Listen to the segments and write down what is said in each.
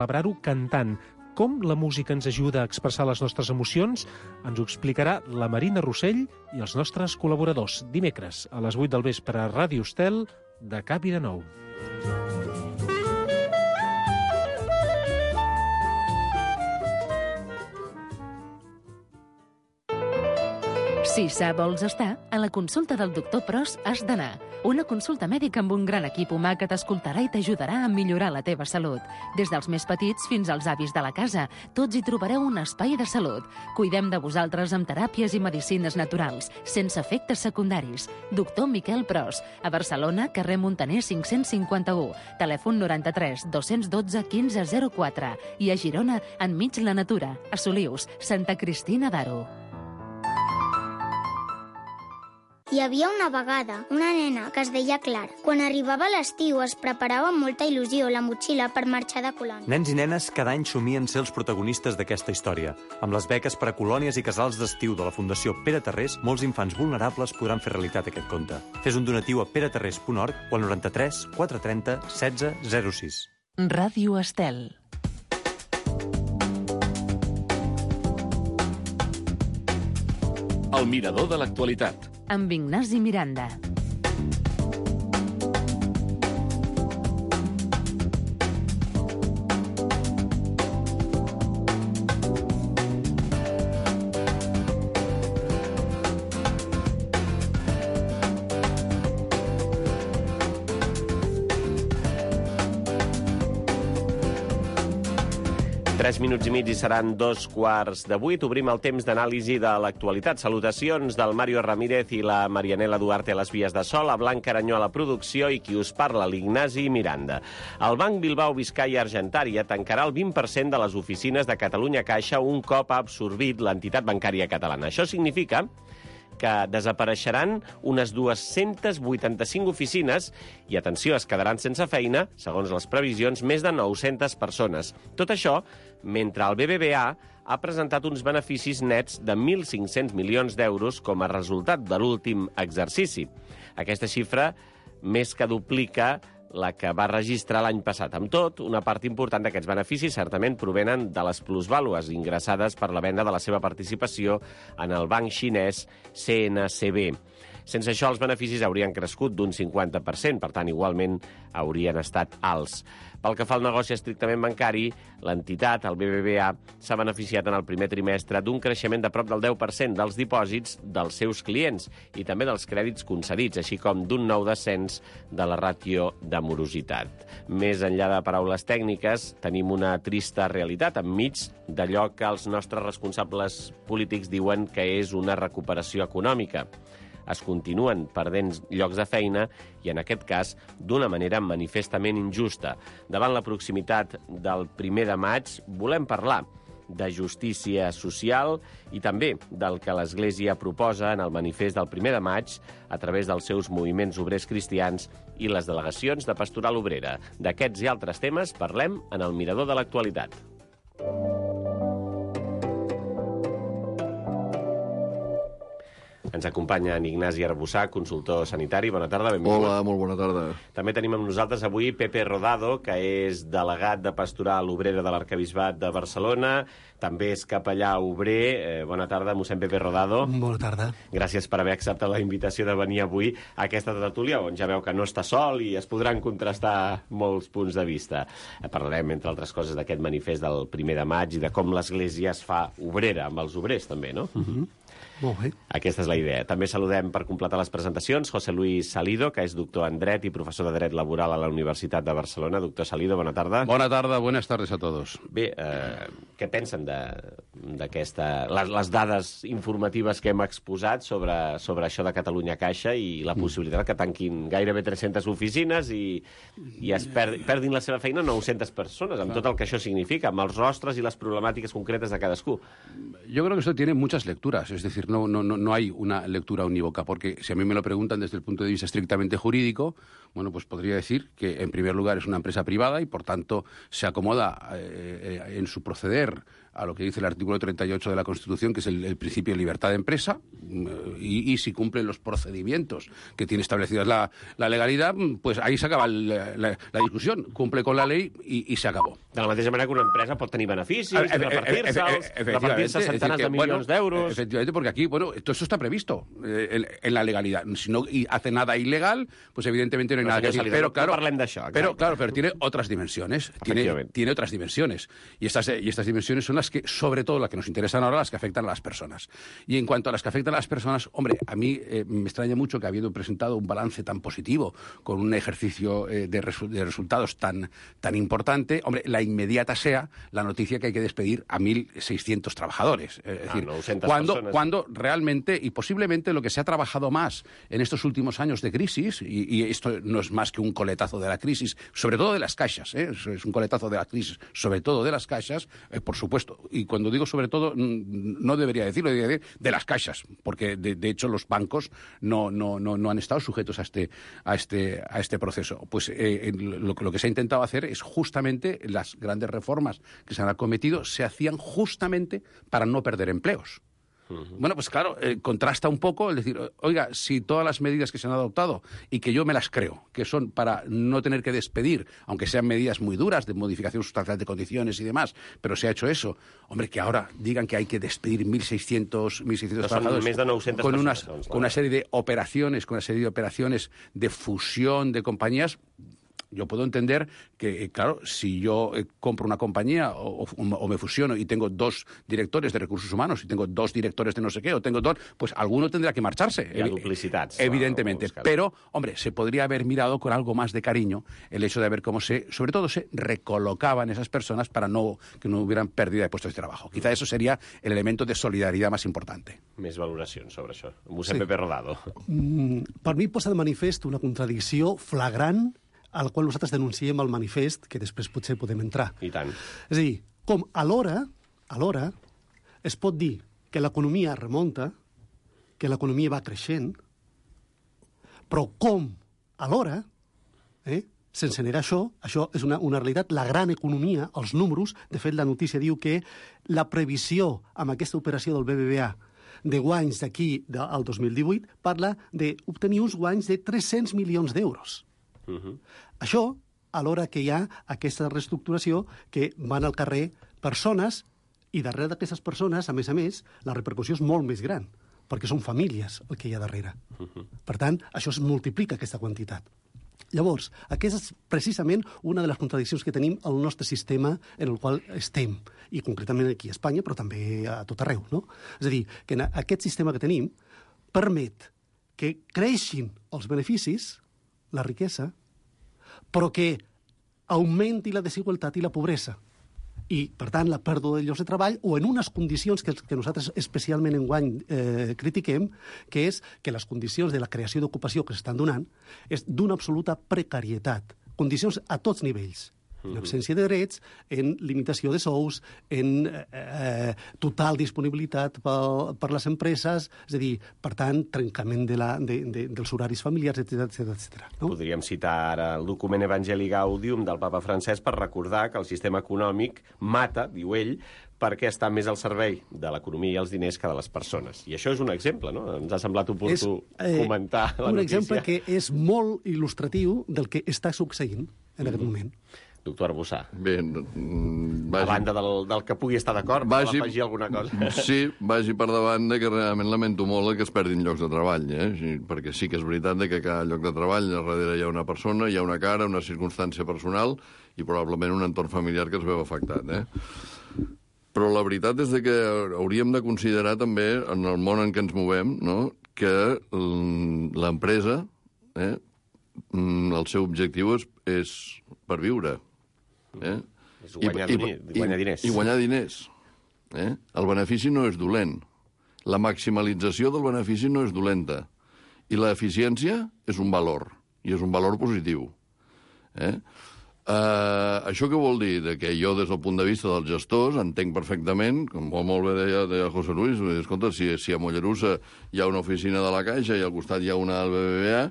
celebrar-ho cantant. Com la música ens ajuda a expressar les nostres emocions ens ho explicarà la Marina Rossell i els nostres col·laboradors dimecres a les 8 del vespre a Ràdio Estel de Cap i de Nou. Si sa vols estar, a la consulta del doctor Pros has d'anar. Una consulta mèdica amb un gran equip humà que t'escoltarà i t'ajudarà a millorar la teva salut. Des dels més petits fins als avis de la casa, tots hi trobareu un espai de salut. Cuidem de vosaltres amb teràpies i medicines naturals, sense efectes secundaris. Doctor Miquel Pros, a Barcelona, carrer Montaner 551, telèfon 93 212 1504 i a Girona, enmig la natura, a Solius, Santa Cristina d'Aro. Hi havia una vegada una nena que es deia Clara. Quan arribava l'estiu es preparava amb molta il·lusió la motxilla per marxar de colònia. Nens i nenes cada any somien ser els protagonistes d'aquesta història. Amb les beques per a colònies i casals d'estiu de la Fundació Pere Tarrés, molts infants vulnerables podran fer realitat aquest conte. Fes un donatiu a peretarrés.org o al 93 430 16 06. Ràdio Estel. El mirador de l'actualitat. Amb Ignasi Miranda. Tres minuts i mig i seran 7:15. Obrim el temps d'anàlisi de l'actualitat. Salutacions del Mario Ramírez i la Marianela Duarte a les vies de so, la Blanca Aranyó a la producció i qui us parla, l'Ignasi Miranda. El Banc Bilbao Vizcaya Argentària tancarà el 20% de les oficines de Catalunya Caixa un cop ha absorbit l'entitat bancària catalana. Això significa que desapareixeran unes 285 oficines i, atenció, es quedaran sense feina, segons les previsions, més de 900 persones. Tot això mentre el BBVA ha presentat uns beneficis nets de 1.500 milions d'euros com a resultat de l'últim exercici. Aquesta xifra més que duplica la que va registrar l'any passat. Amb tot, una part important d'aquests beneficis certament provenen de les plusvàlues ingressades per la venda de la seva participació en el banc xinès CNCB. Sense això, els beneficis haurien crescut d'un 50%, per tant, igualment haurien estat alts. Pel que fa al negoci estrictament bancari, l'entitat, el BBVA, s'ha beneficiat en el primer trimestre d'un creixement de prop del 10% dels dipòsits dels seus clients i també dels crèdits concedits, així com d'un nou descens de la ràtio de morositat. Més enllà de paraules tècniques, tenim una trista realitat enmig d'allò que els nostres responsables polítics diuen que és una recuperació econòmica. Es continuen perdent llocs de feina i, en aquest cas, d'una manera manifestament injusta. Davant la proximitat del 1 de maig, volem parlar de justícia social i també del que l'Església proposa en el manifest del 1 de maig a través dels seus moviments obrers cristians i les delegacions de Pastoral Obrera. D'aquests i altres temes parlem en el Mirador de l'actualitat. Ens acompanya en Ignasi Arbussà, consultor sanitari. Bona tarda, benvingut. Hola, molt bona tarda. També tenim amb nosaltres avui Pepe Rodado, que és delegat de Pastoral Obrera de l'Arquebisbat de Barcelona. També és capellà obrer. Bona tarda, mossèn Pepe Rodado. Bona tarda. Gràcies per haver acceptat la invitació de venir avui a aquesta tertúlia, on ja veu que no està sol i es podran contrastar molts punts de vista. Parlarem, entre altres coses, d'aquest manifest del 1 de maig i de com l'Església es fa obrera, amb els obrers també, no? Molt bé. Aquesta és la idea. També saludem per completar les presentacions José Luis Salido, que és doctor en Dret i professor de Dret Laboral a la Universitat de Barcelona. Doctor Salido, bona tarda. Bona tarda, buenas tardes a todos. Bé, què pensen d'aquesta... les dades informatives que hem exposat sobre això de Catalunya Caixa i la possibilitat que tanquin gairebé 300 oficines i es perdin la seva feina 900 persones, amb tot el que això significa, amb els rostres i les problemàtiques concretes de cadascú? Yo creo que esto tiene muchas lecturas, es decir, no hay una lectura unívoca, porque si a mí me lo preguntan desde el punto de vista estrictamente jurídico, bueno, pues podría decir que en primer lugar es una empresa privada y por tanto se acomoda en su proceder a lo que dice el artículo 38 de la Constitución, que es el principio de libertad de empresa, y si cumplen los procedimientos que tiene establecidas la legalidad, pues ahí se acaba la discusión. Cumple con la ley y se acabó. De la mateixa manera que una empresa pot tenir beneficis, repartir-se centenars de milions d'euros... Efectivamente, porque aquí, todo eso está previsto en la legalidad. Si no hace nada ilegal, pues evidentemente no hay nada que decir. Pero claro, pero tiene otras dimensiones. Tiene otras dimensiones. Y estas dimensiones son las que, sobre todo, las que nos interesan ahora, las que afectan a las personas. Y en cuanto a las que afectan a las personas, hombre, a mí me extraña mucho que habiendo presentado un balance tan positivo, con un ejercicio de resultados tan importante, hombre, la inmediata sea la noticia que hay que despedir a 1.600 trabajadores. Es decir, cuando realmente, y posiblemente lo que se ha trabajado más en estos últimos años de crisis, y esto no es más que un coletazo de la crisis, sobre todo de las caixas, es un coletazo de la crisis, sobre todo de las caixas, por supuesto, y cuando digo sobre todo, no debería decirlo, debería decir de las caixas, porque de hecho los bancos no han estado sujetos a este proceso. Pues lo que se ha intentado hacer es justamente las grandes reformas que se han acometido se hacían justamente para no perder empleos. Bueno, pues claro, contrasta un poco el decir, oiga, si todas las medidas que se han adoptado y que yo me las creo, que son para no tener que despedir, aunque sean medidas muy duras de modificación sustancial de condiciones y demás, pero se ha hecho eso, hombre, que ahora digan que hay que despedir 1.600 trabajadores con una serie de operaciones, de fusión de compañías. Yo puedo entender que, claro, si yo compro una compañía o me fusiono y tengo 2 directores de recursos humanos y tengo 2 directores de no sé qué, o tengo 2, pues alguno tendrá que marcharse. Hi ha duplicitats. Evidentemente. Pero, hombre, se podría haber mirado con algo más de cariño el hecho de ver cómo sobre todo se recolocaban esas personas para que no hubieran pérdida de puestos de trabajo. Quizá eso sería el elemento de solidaridad más importante. Més valoracions sobre això. Mossèn Pepe Rodado. Per mi posa de manifest una contradicció flagrant al qual nosaltres denunciem al manifest, que després potser podem entrar. I tant. És a dir, com alhora es pot dir que l'economia remunta, que l'economia va creixent, però com alhora, sense negar això és una realitat, la gran economia, els números, de fet la notícia diu que la previsió amb aquesta operació del BBVA de guanys d'aquí al 2018 parla d'obtenir uns guanys de 300 milions d'euros. Això, alhora que hi ha aquesta reestructuració que van al carrer persones i darrere d'aquestes persones, a més, la repercussió és molt més gran, perquè són famílies el que hi ha darrere. Per tant, això es multiplica, aquesta quantitat. Llavors, aquesta és precisament una de les contradiccions que tenim al nostre sistema en el qual estem, i concretament aquí a Espanya, però també a tot arreu, no? És a dir, que aquest sistema que tenim permet que creixin els beneficis, la riquesa, però que augmenti la desigualtat i la pobresa. I, per tant, la pèrdua de llocs de treball, o en unes condicions que nosaltres especialment enguany critiquem, que és que les condicions de la creació d'ocupació que s'estan donant és d'una absoluta precarietat. Condicions a tots nivells. En absència de drets, en limitació de sous, en total disponibilitat per les empreses, és a dir, per tant, trencament dels horaris familiars, etc. No? Podríem citar ara el document Evangelii Gaudium del papa Francesc per recordar que el sistema econòmic mata, diu ell, perquè està més al servei de l'economia i els diners que de les persones. I això és un exemple, no? Ens ha semblat oportú comentar la notícia. Un exemple que és molt il·lustratiu del que està succeint en aquest moment. Doctor Arbussà. Bé, a banda del que pugui estar d'acord, vol afegir alguna cosa? Sí, vagi per davant que realment lamento molt que es perdin llocs de treball, perquè sí que és veritat que a cada lloc de treball darrere hi ha una persona, hi ha una cara, una circumstància personal i probablement un entorn familiar que es veu afectat. Però la veritat és que hauríem de considerar també, en el món en què ens movem, que l'empresa, el seu objectiu és per viure. És guanyar diners. I guanyar diners. El benefici no és dolent. La maximalització del benefici no és dolenta. I l'eficiència és un valor, i és un valor positiu. Això què vol dir? Que jo, des del punt de vista dels gestors, entenc perfectament, com molt bé deia José Luis, escolta, si a Mollerussa hi ha una oficina de la Caixa i al costat hi ha una del BBVA,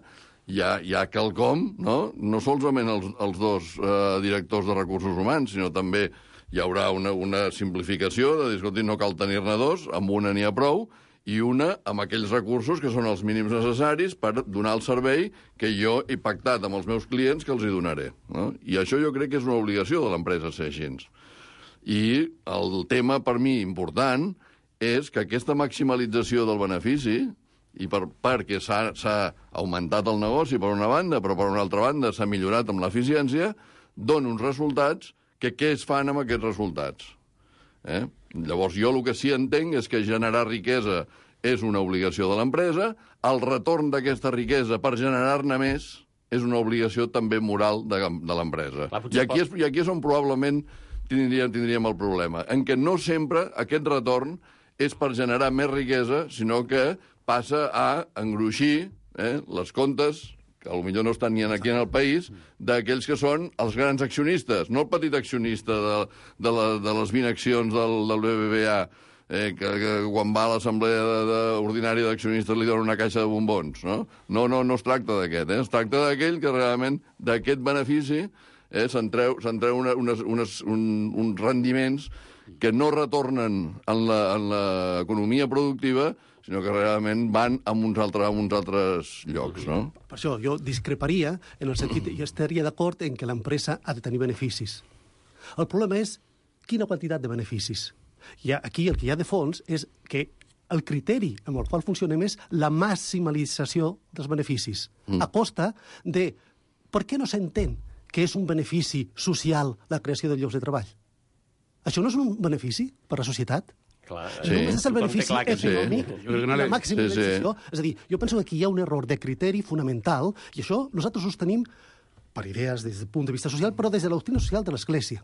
hi ha quelcom, no solament els 2 directors de recursos humans, sinó també hi haurà una simplificació de dir, escolti, no cal tenir-ne dos, amb una n'hi ha prou, i una amb aquells recursos que són els mínims necessaris per donar el servei que jo he pactat amb els meus clients que els hi donaré. No? I això jo crec que és una obligació de l'empresa ser així. I el tema, per mi, important, és que aquesta maximalització del benefici, i perquè s'ha augmentat el negoci per una banda, però per una altra banda s'ha millorat amb l'eficiència, dona uns resultats que què es fan amb aquests resultats? Llavors, jo el que sí entenc és que generar riquesa és una obligació de l'empresa, el retorn d'aquesta riquesa per generar-ne més és una obligació també moral de l'empresa. I aquí és on probablement tindríem el problema, en què no sempre aquest retorn és per generar més riquesa, sinó que passa a engruixir les comptes, que potser no estan ni aquí en el país, d'aquells que són els grans accionistes, no el petit accionista de les 20 accions del BBVA, que quan va a l'assemblea ordinària d'accionistes li donen una caixa de bombons, no? No es tracta d'aquest, es tracta d'aquell que realment d'aquest benefici se'n treu uns rendiments que no retornen en l'economia productiva, sinó que realment van a uns altres llocs, no? Per això jo discreparia en el sentit, jo estaria d'acord en que l'empresa ha de tenir beneficis. El problema és quina quantitat de beneficis. I aquí el que hi ha de fons és que el criteri amb el qual funcionem és la maximalització dels beneficis, a costa de per què no s'entén que és un benefici social la creació de llocs de treball? Això no és un benefici per a la societat? Clar, només és el benefici econòmic i la maximització. És a dir, jo penso que aquí hi ha un error de criteri fonamental, i això nosaltres ho sostenim per idees des del punt de vista social, però des de la doctrina social de l'Església.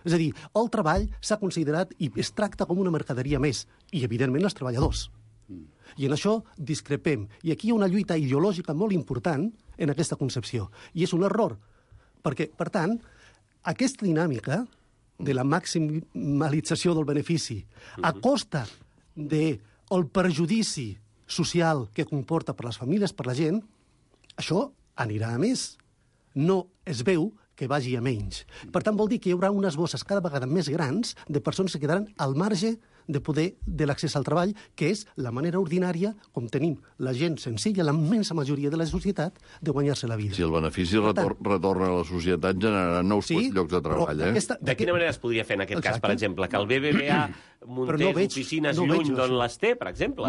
És a dir, el treball s'ha considerat i es tracta com una mercaderia més, i evidentment els treballadors. I en això discrepem. I aquí hi ha una lluita ideològica molt important en aquesta concepció. I és un error, perquè, per tant, aquesta dinàmica de la maximalització del benefici a costa del perjudici social que comporta per les famílies, per la gent, això anirà a més. No es veu que vagi a menys. Per tant, vol dir que hi haurà unes bosses cada vegada més grans de persones que quedaran al marge de poder de l'accés al treball, que és la manera ordinària, com tenim la gent senzilla, la immensa majoria de la societat, de guanyar-se la vida. Si el benefici retorna a la societat, generarà nous llocs de treball. De quina manera es podria fer en aquest cas, per exemple, que el BBVA muntés oficines lluny d'on les té, per exemple?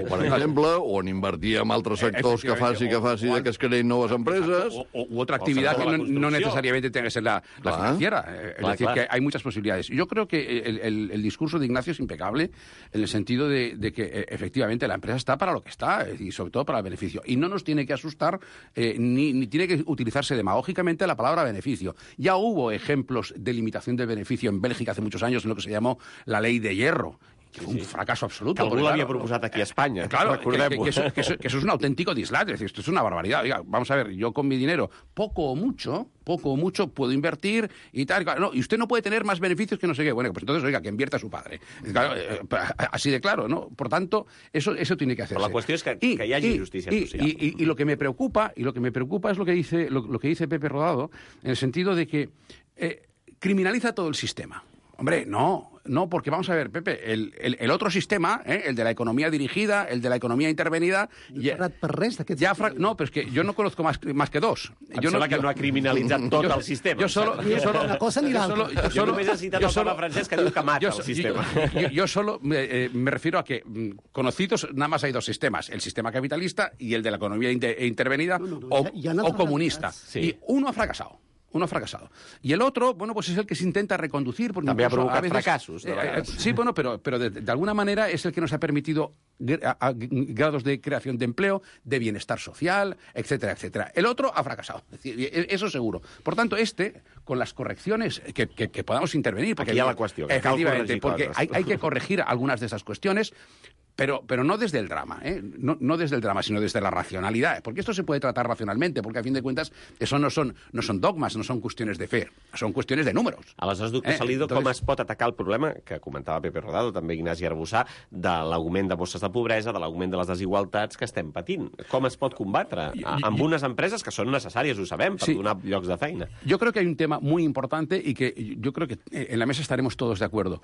Per exemple, o en invertir en altres sectors que faci que es creïn noves empreses. U otra actividad que no necesariamente tenga que ser la financiera. Es decir, que hay muchas posibilidades. Yo creo que el discurso de Ignacio es impecable en el sentido de que efectivamente la empresa está para lo que está y sobre todo para el beneficio. Y no nos tiene que asustar ni tiene que utilizarse demagógicamente la palabra beneficio. Ya hubo ejemplos de limitación del beneficio en Bélgica hace muchos años en lo que se llamó la ley de hierro. Que fue un fracaso absoluto. Que algú l'havia proposat aquí a Espanya. Claro, que eso es un auténtico dislate. Es decir, esto es una barbaridad. Oiga, vamos a ver, yo con mi dinero, poco o mucho, puedo invertir y tal. No, y usted no puede tener más beneficios que no sé qué. Bueno, pues entonces, oiga, que invierta su padre. Claro, así de claro, ¿no? Por tanto, eso tiene que hacerse. Però la qüestió és que hi hagi justícia social. Y lo que me preocupa es lo que dice Pepe Rodado, en el sentido de que criminaliza todo el sistema. Hombre, no, porque vamos a ver, Pepe, el otro sistema, el de la economía dirigida, el de la economía intervenida... No, pero es que yo no conozco más que dos. Em sembla que no ha criminalitzat tot el sistema. Una cosa ni l'altra. Jo només he citat el Papa Francesc que diu que mata el sistema. Yo solo me refiero a que conocidos nada más hay dos sistemas, el sistema capitalista y el de la economía intervenida o comunista. Y uno ha fracasado. Y el otro, bueno, pues es el que se intenta reconducir. També ha provocat fracassos. Sí, bueno, pero de alguna manera es el que nos ha permitido grados de creación de empleo, de bienestar social, etcétera, etcétera. El otro ha fracasado, es decir, eso seguro. Por tanto, con las correcciones que podamos intervenir... Aquí hi ha la qüestió. Efectivamente, porque hay que corregir algunas de esas cuestiones. Pero no desde el drama, no desde el drama, sino desde la racionalidad, porque esto se puede tratar racionalmente, porque a fin de cuentas eso no son dogmas, no son cuestiones de fe, son cuestiones de números. Aleshores, doctor Salido, com es pot atacar el problema, que comentava Pepe Rodado, també Ignasi Arbussà, de l'augment de bosses de pobresa, de l'augment de les desigualtats que estem patint? Com es pot combatre? Amb unes empreses que són necessàries, ho sabem, per donar llocs de feina. Yo creo que hay un tema muy importante y que yo creo que en la mesa estaremos todos de acuerdo.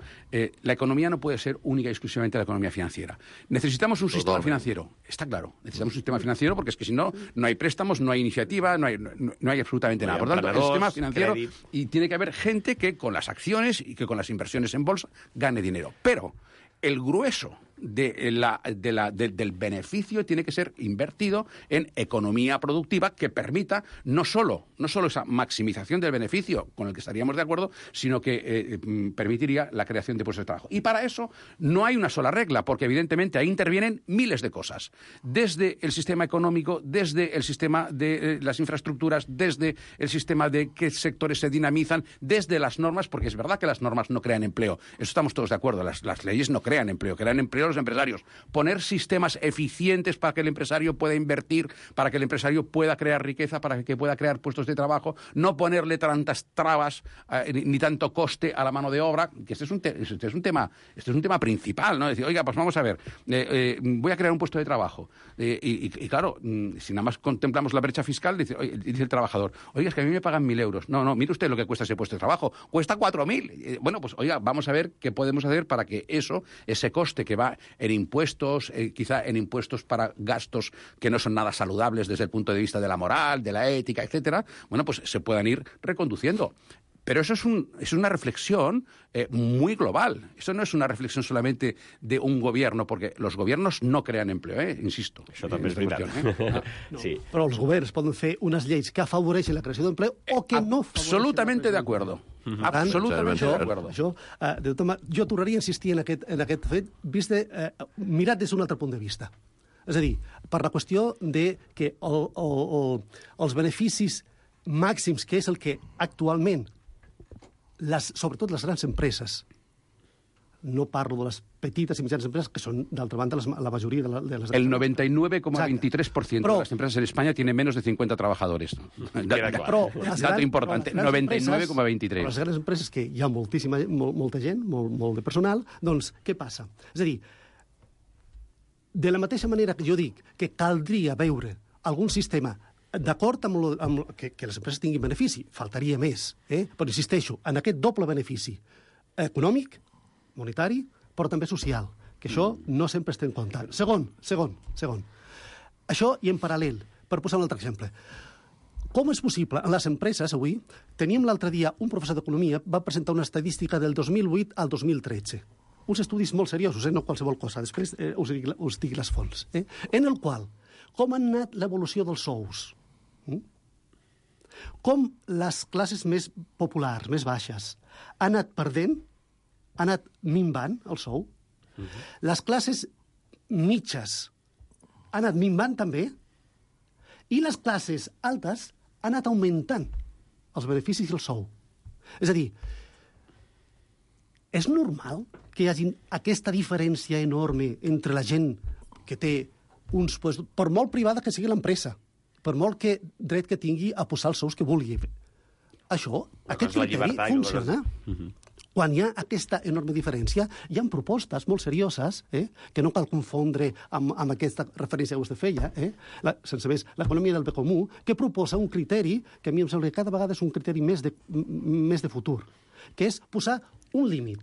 La economía no puede ser única y exclusivamente la economía financiera. Necesitamos un sistema financiero, está claro. Necesitamos un sistema financiero porque es que si no, no hay préstamos, no hay iniciativa, no hay absolutamente nada. Por lo tanto, el sistema financiero, y tiene que haber gente que con las acciones y que con las inversiones en bolsa gane dinero. Pero el grueso del beneficio tiene que ser invertido en economía productiva que permita no solo esa maximización del beneficio, con el que estaríamos de acuerdo, sino que permitiría la creación de puestos de trabajo. Y para eso no hay una sola regla, porque evidentemente ahí intervienen miles de cosas. Desde el sistema económico, desde el sistema de las infraestructuras, desde el sistema de qué sectores se dinamizan, desde las normas, porque es verdad que las normas no crean empleo. Eso estamos todos de acuerdo. Las leyes no crean empleo, crean empleo los empresarios. Poner sistemas eficientes para que el empresario pueda invertir, para que el empresario pueda crear riqueza, para que pueda crear puestos de trabajo, no ponerle tantas trabas ni tanto coste a la mano de obra, que este es un tema principal, ¿no? Decir, oiga, pues vamos a ver, voy a crear un puesto de trabajo. Y claro, si nada más contemplamos la brecha fiscal, dice el trabajador, oiga, es que a mí me pagan 1.000 euros. No, mire usted lo que cuesta ese puesto de trabajo. Cuesta 4.000. Bueno, pues oiga, vamos a ver qué podemos hacer para que ese coste que va en impuestos, quizá en impuestos para gastos que no son nada saludables desde el punto de vista de la moral, de la ética, etcétera, bueno, pues se puedan ir reconduciendo. Pero eso es una reflexión muy global. Eso no es una reflexión solamente de un gobierno, porque los gobiernos no crean empleo, insisto. Això també és veritat. Sí. Però els governs poden fer unes lleis que afavoreixen la creació d'empleo o que no afavoreixen. Absolutamente de acuerdo. Absolutamente de acuerdo. Jo tornaria a insistir en aquest fet mirat des d'un altre punt de vista. És a dir, per la qüestió de que els beneficis màxims, que és el que actualment sobretot les grans empreses, no parlo de les petites i mitjanes empreses, que són, d'altra banda, la majoria de les... El 99,23% de las empresas en España tienen menos de 50 trabajadores. Dato importante, 99,23. Les grans empreses, que hi ha molta gent, molt de personal, doncs, què passa? És a dir, de la mateixa manera que jo dic que caldria veure algun sistema d'acord amb que les empreses tinguin benefici, faltaria més, però insisteixo, en aquest doble benefici econòmic, monetari, però també social, que això no sempre estem comptant. Segon. Això i en paral·lel, per posar un altre exemple. Com és possible? En les empreses, avui, teníem l'altre dia un professor d'economia, va presentar una estadística del 2008 al 2013. Uns estudis molt seriosos, no qualsevol cosa. Després us dic les fonts. En el qual, com ha anat l'evolució dels sous? Com les classes més populars, més baixes, han anat perdent, han anat minvant el sou. Les classes mitges han anat minvant també, i les classes altes han anat augmentant els beneficis i el sou. És a dir, és normal que hi hagi aquesta diferència enorme entre la gent que té uns... per molt privada que sigui l'empresa, per molt que dret que tingui a posar els sous que vulgui. Aquest criteri funciona. Quan hi ha aquesta enorme diferència, hi ha propostes molt serioses, que no cal confondre amb aquesta referència que vostè feia, sense més, l'economia del bé comú, que proposa un criteri que a mi em sembla que cada vegada és un criteri més de futur, que és posar un límit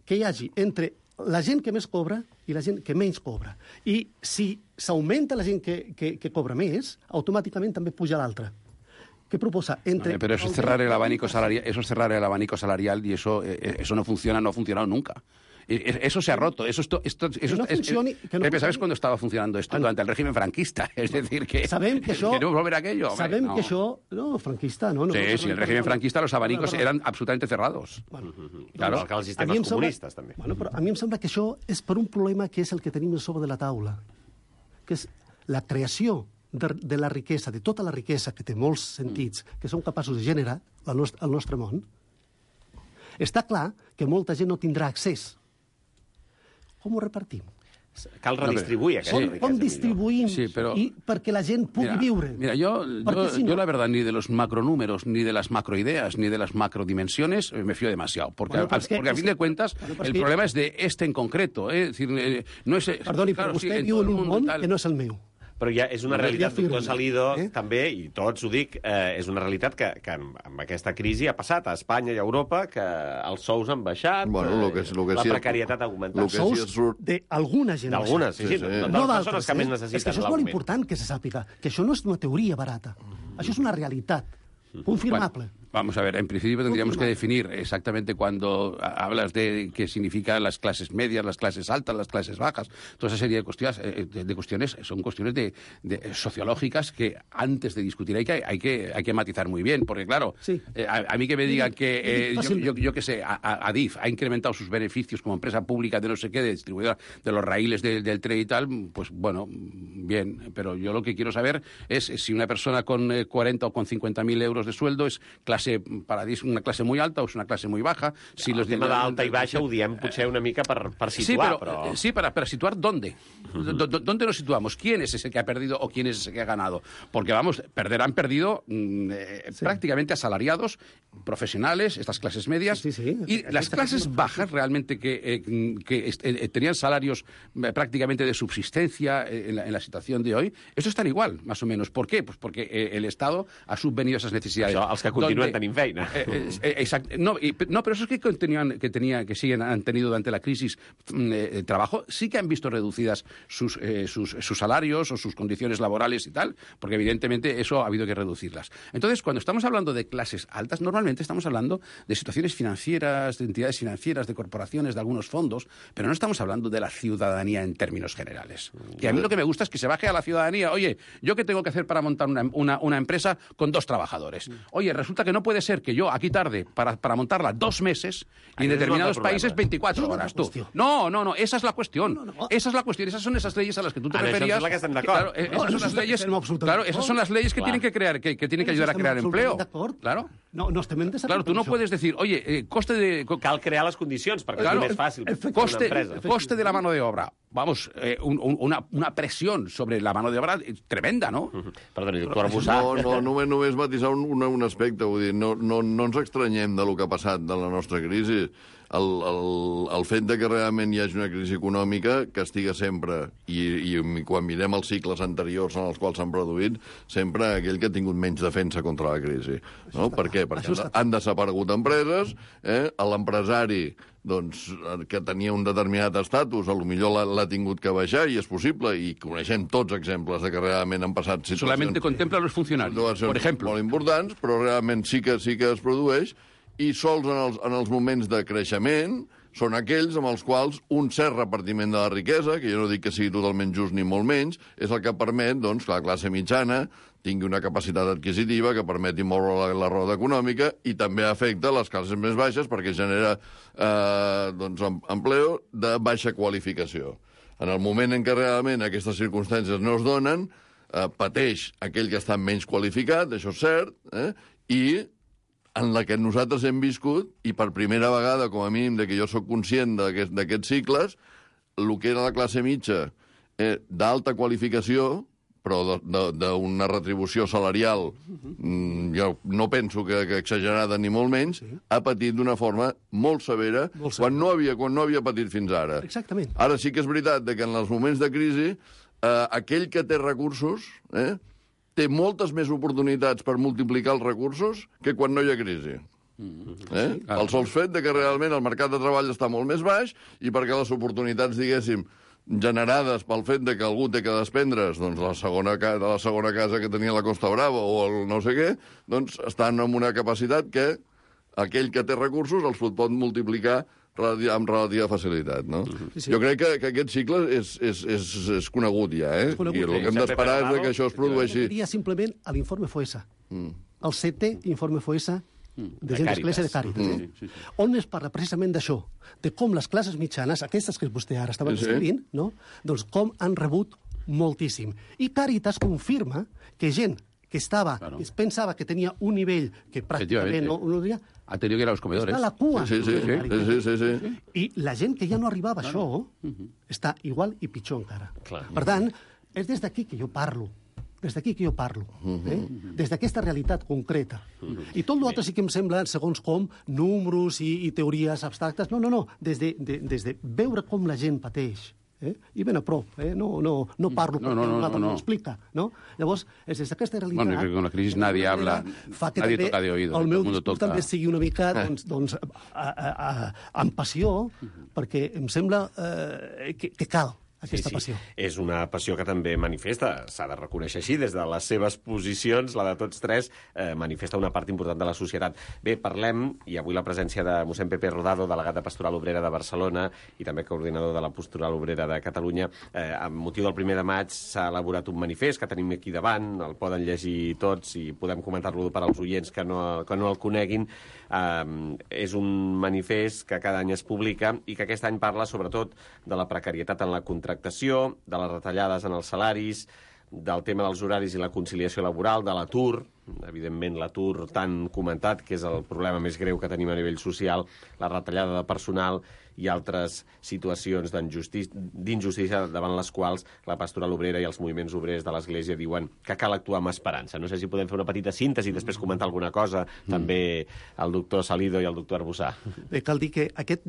que hi hagi entre la gent que més cobra i la gent que menys cobra. I si s'augmenta la gent que cobra més, automàticament també puja l'altra. ¿Qué proposa? Pero eso es cerrar el abanico salarial, y eso no funciona, no ha funcionado nunca. Eso se ha roto. Pepe, ¿sabes cuándo estaba funcionando esto? Durante el régimen franquista. Es decir, que queremos volver a aquello. Sabem que això... No, franquista, no. Sí, en el régimen franquista los abanicos eran absolutamente cerrados. Claro, que els sistemes comunistes, també. Però a mi em sembla que això és per un problema que és el que tenim sobre de la taula, que és la creació de la riquesa, de tota la riquesa que té molts sentits, que som capaços de generar al nostre món. Està clar que molta gent no tindrà accés. com ho repartim? Cal redistribuir aquesta riquesa. Com distribuïm perquè la gent pugui viure? Mira, yo la verdad, ni de los macronúmeros, ni de las macroideas, ni de las macrodimensiones me fío demasiado. Porque a fin de cuentas, el problema es de este en concreto. Es decir, no es... Perdoni, però vostè viu en un món que no és el meu. Però ja és una realitat, doctor Salido, també, i tots ho dic, és una realitat que amb aquesta crisi ha passat a Espanya i a Europa, que els sous han baixat, la precarietat ha augmentat. Els sous d'alguna gent. D'algunes, sí, no de les persones que més necessiten. És que això és molt important que se sàpiga, que això no és una teoria barata. Això és una realitat confirmable. Vamos a ver, en principio tendríamos que definir exactamente cuando hablas de qué significan las clases medias, las clases altas, las clases bajas. Toda esa serie de cuestiones son cuestiones sociológicas que antes de discutir hay que matizar muy bien, porque claro, a mí que me digan que yo qué sé, Adif ha incrementado sus beneficios como empresa pública de no sé qué, de distribuidora de los raíles del tren y tal, pues bueno, bien, pero yo lo que quiero saber es si una persona con 40 o con 50.000 euros de sueldo es una clase muy alta o es una clase muy baja. Si el tema d'alta i baixa ho diem potser una mica per situar, però... Sí, para situar ¿dónde? ¿Dónde nos situamos? ¿Quién es ese que ha perdido o quién es ese que ha ganado? Porque, vamos, han perdido prácticamente asalariados, profesionales, estas clases medias, y las clases bajas realmente que tenían salarios prácticamente de subsistencia en la situación de hoy, eso están igual, más o menos. ¿Por qué? Pues porque el Estado ha subvenido a esas necesidades. Això, els que continuen tenint feina. Exacto. No, pero esos que han tenido durante la crisis trabajo, sí que han visto reducidas sus salarios o sus condiciones laborales y tal, porque evidentemente eso ha habido que reducirlas. Entonces, cuando estamos hablando de clases altas, normalmente estamos hablando de situaciones financieras, de entidades financieras, de corporaciones, de algunos fondos, pero no estamos hablando de la ciudadanía en términos generales. Y a mí lo que me gusta es que se baje a la ciudadanía. Oye, ¿yo qué tengo que hacer para montar una empresa con 2 trabajadores? Oye, resulta que no puede ser que yo aquí tarde para montarla 2 meses y en determinados países 24 horas. Tú. No, esa es la cuestión. Esa es la cuestión. Esas son esas leyes a las que tú te referías. Claro, esas son las leyes. Claro, esas son las leyes que tienen que crear, que tienen que ayudar a crear empleo. Claro. No estem en desacord. Claro, tú no puedes decir, oye, coste de... Cal crear les condicions perquè és més fàcil per una empresa. Coste de la mano de obra. Vamos, una presión sobre la mano de obra tremenda, ¿no? Perdoni, doctor Arbussà. No, només matisar un aspecte, vull dir, no ens estranyem del que ha passat de la nostra crisi. El fet de que realment hi hagi una crisi econòmica castiga sempre, i quan mirem els cicles anteriors en els quals s'han produït, sempre aquell que ha tingut menys defensa contra la crisi. No? Per què? Perquè han desaparegut empreses, l'empresari que tenia un determinat estatus, potser l'ha tingut que baixar, i és possible, i coneixem tots exemples de que realment han passat situacions... Solamente contempla los funcionarios, por ejemplo. Molt importants, però realment sí que es produeix, i sols en els moments de creixement són aquells amb els quals un cert repartiment de la riquesa, que jo no dic que sigui totalment just ni molt menys, és el que permet que la classe mitjana tingui una capacitat adquisitiva que permeti moure la roda econòmica, i també afecta les classes més baixes perquè genera empleo de baixa qualificació. En el moment en què realment aquestes circumstàncies no es donen, pateix aquell que està menys qualificat, això és cert, i en la que nosaltres hem viscut, i per primera vegada, com a mínim, que jo sóc conscient d'aquests cicles, el que era la classe mitja d'alta qualificació, però d'una retribució salarial, jo no penso que exagerada ni molt menys, ha patit d'una forma molt severa, quan no havia patit fins ara. Exactament. Ara sí que és veritat que en els moments de crisi, aquell que té recursos té moltes més oportunitats per multiplicar els recursos que quan no hi ha crisi. El sol fet que realment el mercat de treball està molt més baix, i perquè les oportunitats, diguéssim, generades pel fet que algú té que desprendre's la segona casa que tenia a la Costa Brava o el no sé què, estan amb una capacitat que aquell que té recursos els pot multiplicar amb relativa facilitat, no? Jo crec que aquest cicle és conegut ja, I el que hem d'esperar és que això es produeixi. Diria simplement a l'informe FOESA, el 7è informe FOESA de gent d'Església de Càritas, on es parla precisament d'això, de com les classes mitjanes, aquestes que vostè ara estava descrivint, doncs com han rebut moltíssim. I Càritas confirma que gent que estava, es pensava que tenia un nivell que pràcticament no diria, ha tenido que ir a los comedores. Està a la cua. Sí. I la gent que ja no arribava a això està igual i pitjor encara. Per tant, és des d'aquí que jo parlo. Des d'aquí que jo parlo. Des d'aquesta realitat concreta. I tot l'altre sí que em sembla, segons com, números i teories abstractes. No. Des de veure com la gent pateix. I ben a prop, no parlo perquè l'altre no explica, no? Llavors, és des d'aquesta realitat... Bueno, que con la crisis nadie habla, nadie toca de oído. El meu discurs també sigui una mica, doncs, amb passió, perquè em sembla que cal aquesta passió. És una passió que també manifesta, s'ha de reconèixer així, des de les seves posicions, la de tots tres, manifesta una part important de la societat. Bé, parlem, i avui la presència de mossèn Pepe Rodado, delegat de Pastoral Obrera de Barcelona i també coordinador de la Pastoral Obrera de Catalunya. Amb motiu del 1 de maig s'ha elaborat un manifest que tenim aquí davant, el poden llegir tots i podem comentar-lo per als oients que no el coneguin. És un manifest que cada any es publica i que aquest any parla sobretot de la precarietat en la contractació, de les retallades en els salaris, del tema dels horaris i la conciliació laboral, de l'atur, evidentment l'atur tan comentat, que és el problema més greu que tenim a nivell social, la retallada de personal i altres situacions d'injustícia davant les quals la Pastoral Obrera i els moviments obrers de l'Església diuen que cal actuar amb esperança. No sé si podem fer una petita síntesi i després comentar alguna cosa, també el doctor Salido i el doctor Arbussà. Cal dir que aquest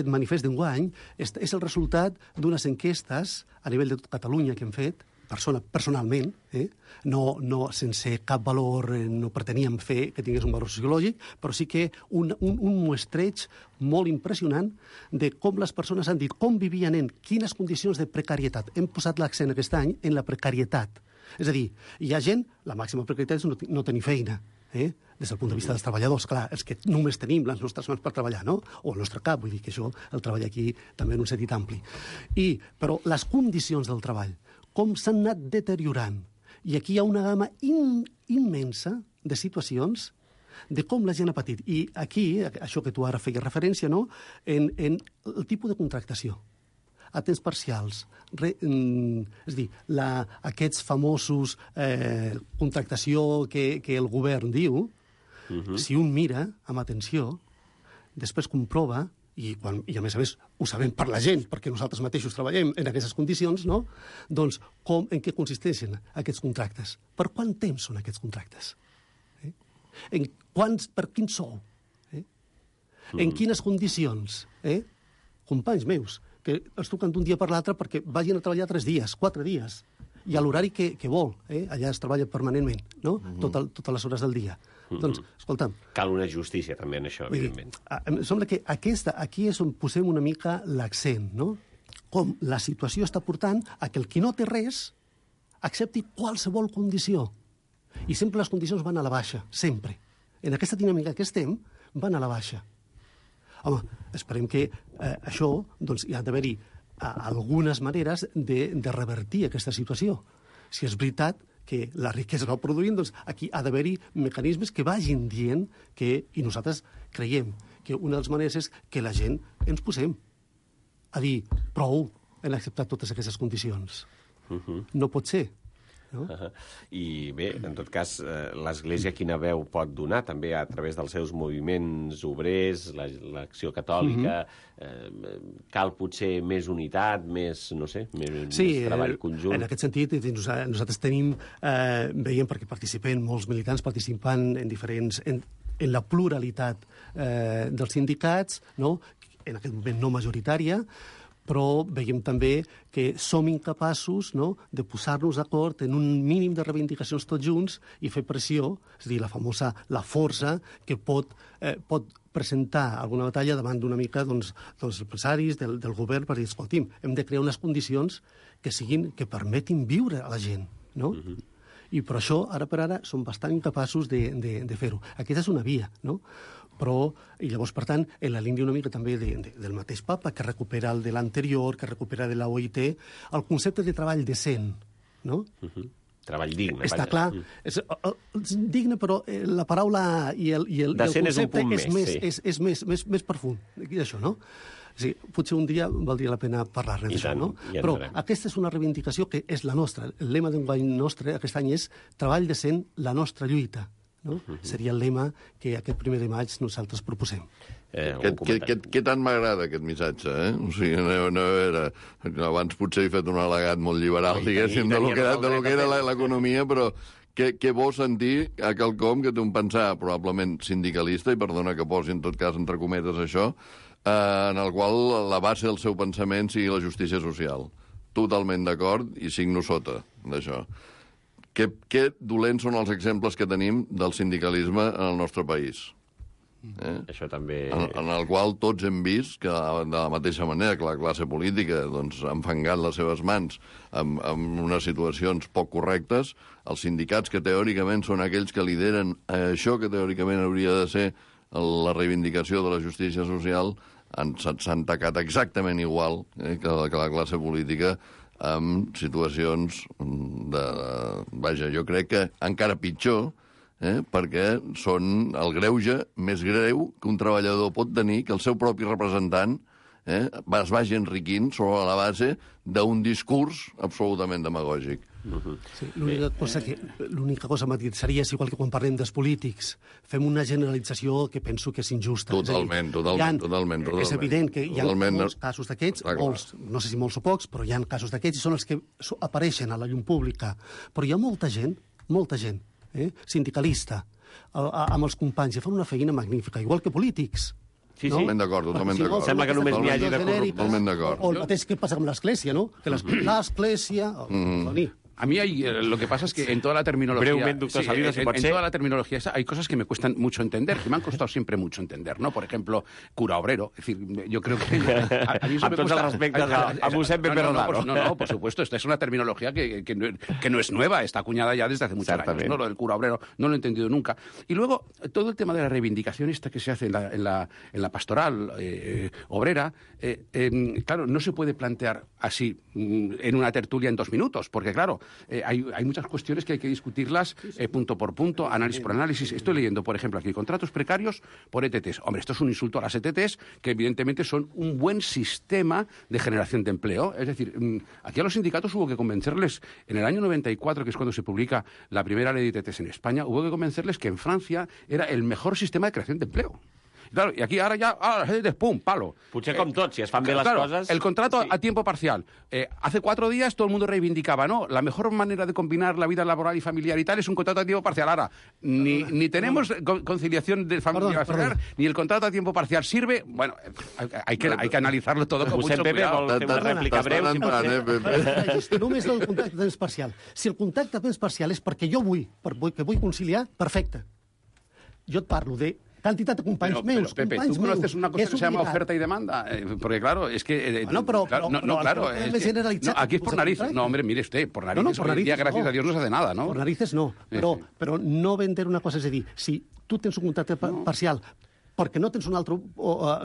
manifest d'enguany és el resultat d'unes enquestes a nivell de tot Catalunya que hem fet, personalment, no sense cap valor, no preteníem fer que tingués un valor sociològic, però sí que un muestreig molt impressionant de com les persones han dit, com vivien en quines condicions de precarietat. Hem posat l'accent aquest any en la precarietat. És a dir, hi ha gent, la màxima precarietat és no tenir feina, des del punt de vista dels treballadors, clar, els que només tenim les nostres mans per treballar, no? O el nostre cap, vull dir que això, el treball aquí també en un sentit ampli. Però les condicions del treball, com s'han anat deteriorant. I aquí hi ha una gamma immensa de situacions de com la gent ha patit. I aquí, això que tu ara feies referència, no? En el tipus de contractació. A temps parcials. És a dir, aquests famosos contractació que el govern diu, si un mira amb atenció, després comprova, i a més ho sabem per la gent, perquè nosaltres mateixos treballem en aquestes condicions, no? Doncs en què consisteixen aquests contractes? Per quant temps són aquests contractes? Per quin sou? En quines condicions? Companys meus, que els truquen d'un dia per l'altre perquè vagin a treballar 3 dies, 4 dies, i a l'horari que vol. Allà es treballa permanentment, no? Totes les hores del dia. Doncs, escolta'm... Cal una justícia, també, en això, evidentment. Em sembla que aquí és on posem una mica l'accent, no? Com la situació està portant a que el qui no té res accepti qualsevol condició. I sempre les condicions van a la baixa, sempre. En aquesta dinàmica que estem, van a la baixa. Home, esperem que això, doncs, hi ha d'haver-hi algunes maneres de revertir aquesta situació. Si és veritat que la riquesa va produint, doncs aquí ha d'haver-hi mecanismes que vagin dient que, i nosaltres creiem que una de les maneres és que la gent ens posem a dir prou en acceptar totes aquestes condicions. No pot ser. No? I bé, en tot cas, l'Església quina veu pot donar també a través dels seus moviments obrers, l'Acció Catòlica, cal potser més unitat, més, no sé, més treball conjunt. En aquest sentit, nosaltres tenim, veiem perquè participen molts militants participant en la pluralitat dels sindicats, no? En aquest moment no majoritària, però veiem també que som incapaços, no?, de posar-nos d'acord en un mínim de reivindicacions tots junts i fer pressió, és a dir, la força que pot presentar alguna batalla davant d'una mica dels empresaris, del govern, per dir, escolti'm, hem de crear unes condicions que permetin viure a la gent, no? I per això, ara per ara, som bastant incapaços de fer-ho. Aquesta és una via, no? Però, i llavors, per tant, en la línia una mica també del mateix papa, que recupera el de l'anterior, que recupera de la OIT, el concepte de treball decent, no? Treball digne. Està clar. És digne, però la paraula i el decent concepte és un punt és més profund, això, no? Sí, potser un dia valdria la pena parlar-ne d'això, no? Però aquesta és una reivindicació que és la nostra. El lema d'enguany nostre aquest any és treball decent, la nostra lluita. No? Seria el lema que aquest 1 de maig nosaltres proposem. Què tant m'agrada aquest missatge, eh? O sigui, a veure, abans potser he fet un al·legat molt liberal, diguéssim, de lo que era l'economia, però què vol sentir a quelcom que té un pensar probablement sindicalista, i perdona que posi en tot cas entre cometes això, en el qual la base del seu pensament sigui la justícia social. Totalment d'acord i signo sota d'això. Què dolents són els exemples que tenim del sindicalisme en el nostre país? Això també... En el qual tots hem vist que, de la mateixa manera que la classe política doncs, ha enfangat les seves mans en unes situacions poc correctes, els sindicats que teòricament són aquells que lideren això que teòricament hauria de ser la reivindicació de la justícia social, s'han tacat exactament igual que la classe política amb situacions vaja, jo crec que encara pitjor, perquè són el greuge més greu que un treballador pot tenir, que el seu propi representant es vagi enriquint sobre la base d'un discurs absolutament demagògic. Sí, l'única cosa seria, igual que quan parlem dels polítics, fem una generalització que penso que és injusta. Totalment. És evident que hi ha molts casos d'aquests, no sé si molts o pocs, però hi ha casos d'aquests i són els que apareixen a la llum pública. Però hi ha molta gent, sindicalista, amb els companys, que fan una feina magnífica, igual que polítics. Sí, totalment d'acord. Sembla que només n'hi hagi de corruptes. Totalment d'acord. O el mateix que passa amb l'Església, no? Que l'Església... A mí lo que pasa es que en toda la terminología... Brevemente, doctor Salinas, si en toda la terminología hay cosas que me cuestan mucho entender, que me han costado siempre mucho entender, ¿no? Por ejemplo, cura obrero. Es decir, yo creo que... A mí eso me cuesta... respectes a Mossèn Pepe Rodaro. No, por supuesto. Esta es una terminología que no es nueva, está acuñada ya desde hace muchos años, ¿no? Lo del cura obrero no lo he entendido nunca. Y luego, todo el tema de la reivindicación esta que se hace en la pastoral obrera, claro, no se puede plantear así en una tertulia en 2 minutos, porque claro, hay muchas cuestiones que hay que discutirlas punto por punto, análisis por análisis. Estoy leyendo, por ejemplo, aquí contratos precarios por ETTs. Hombre, esto es un insulto a las ETTs, que evidentemente son un buen sistema de generación de empleo. Es decir, aquí a los sindicatos hubo que convencerles, en el año 94, que es cuando se publica la primera ley de ETTs en España, hubo que convencerles que en Francia era el mejor sistema de creación de empleo. Claro, y aquí ahora ya, pum, palo. Potser com tot, si es fan bé les coses... El contrato a tiempo parcial. Hace 4 días todo el mundo reivindicaba, ¿no? La mejor manera de combinar la vida laboral y familiar y tal es un contrato a tiempo parcial. Ahora, ni tenemos conciliación de familia familiar, ni el contrato a tiempo parcial sirve. Bueno, hay que analizarlo todo con mucho cuidado. Vol fer una rèplica breu. Només el contracte a temps parcial. Si el contracte a temps parcial és perquè jo vull conciliar, perfecte. Jo et parlo de cantidad de companys meus. Pepe, ¿tú conoces una cosa que se llama oferta y demanda? Porque claro, es que... aquí es por narices. No, hombre, mire usted, por narices. Hoy en día, gracias a Dios, no se hace nada, ¿no? Por narices no, però no vender una cosa, és a dir, si tu tens un contracte parcial porque no tienes un otro...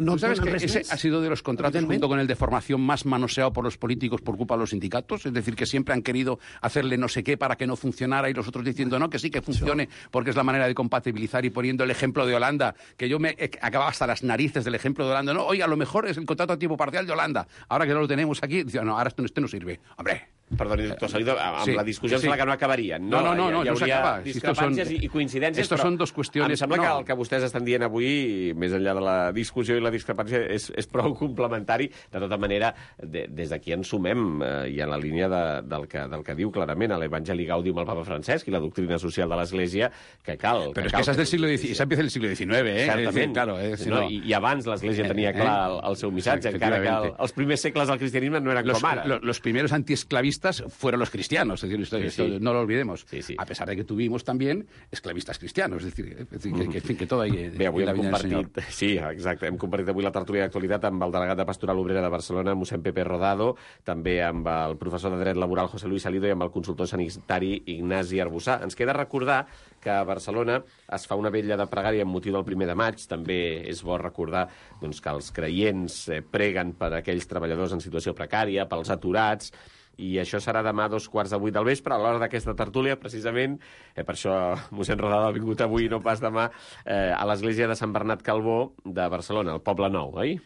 ¿No sabes que ese ha sido de los contratos junto con el de formación más manoseado por los políticos por culpa de los sindicatos? Es decir, que siempre han querido hacerle no sé qué para que no funcionara y los otros diciendo no, que sí que funcione porque es la manera de compatibilizar y poniendo el ejemplo de Holanda, que yo me acababa hasta las narices del ejemplo de Holanda. No, oye, a lo mejor es el contrato a tiempo parcial de Holanda. Ahora que no lo tenemos aquí, dice, no, ahora este no sirve. Hombre... Perdoni, doctor Salido, amb la discussió sembla que no acabarien. No, hi hauria discrepàncies i coincidències, estos son dos cuestiones... Em sembla que el que vostès estan dient avui, més enllà de la discussió i la discrepància, és prou complementari. De tota manera, des d'aquí ens sumem i en la línia del que diu clarament l'Evangeli Gaudium al Papa Francesc i la doctrina social de l'Església, que cal... Però és que esa és del siglo XIX, esa empieza del siglo XIX, eh? Certament. Claro, i abans l'Església tenia clar el seu missatge, encara que els primers segles del cristianisme no eren com ara. Los primeros antiesclavistas fueron los cristianos, es decir, esto no lo olvidemos. A pesar de que tuvimos también esclavistas cristianos, es decir, que todo ahí... Bé, avui hem compartit... Sí, exacte, hem compartit avui la tertúlia d'actualitat amb el delegat de Pastoral Obrera de Barcelona, mossèn Pepe Rodado, també amb el professor de Dret Laboral José Luis Salido i amb el consultor sanitari Ignasi Arbussà. Ens queda recordar que a Barcelona es fa una vetlla de pregària amb motiu del 1 de maig. També és bo recordar que els creients preguen per aquells treballadors en situació precària, pels aturats, i això serà demà a 7:15 del vespre, a l'hora d'aquesta tertúlia, precisament, per això mossèn Rodado ha vingut avui, no pas demà, a l'església de Sant Bernat Calbó de Barcelona, al Poble Nou, oi?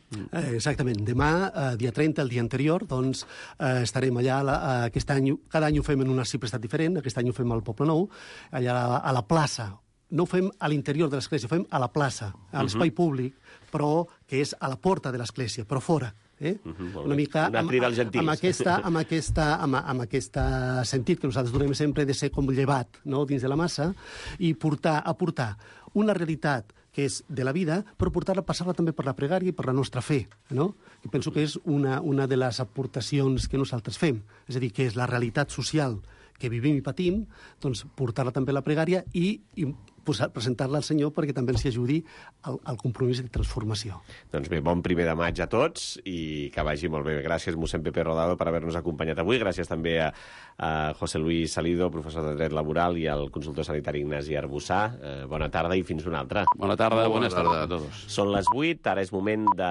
Exactament. Demà, dia 30, el dia anterior, doncs estarem allà. Aquest any, cada any ho fem en una cipretat diferent, aquest any ho fem al Poble Nou, allà a la plaça. No ho fem a l'interior de l'església, ho fem a la plaça, a l'espai públic, però que és a la porta de l'església, però fora. Una mica amb aquest sentit que nosaltres donem sempre de ser com llevat, no?, dins de la massa, i aportar una realitat que és de la vida, però passar-la també per la pregària i per la nostra fe, no? I penso que és una de les aportacions que nosaltres fem, és a dir, que és la realitat social que vivim i patim, doncs portar-la també a la pregària i presentar-la al Senyor perquè també ens ajudi al compromís de transformació. Doncs bé, bon 1 de maig a tots i que vagi molt bé. Gràcies, mossèn Pepe Rodado, per haver-nos acompanyat avui. Gràcies també a José Luis Salido, professor de Dret Laboral, i al consultor sanitari Ignasi Arbussà. Bona tarda i fins una altra. Bona tarda, bones tardes a tots. Són les 8, ara és moment de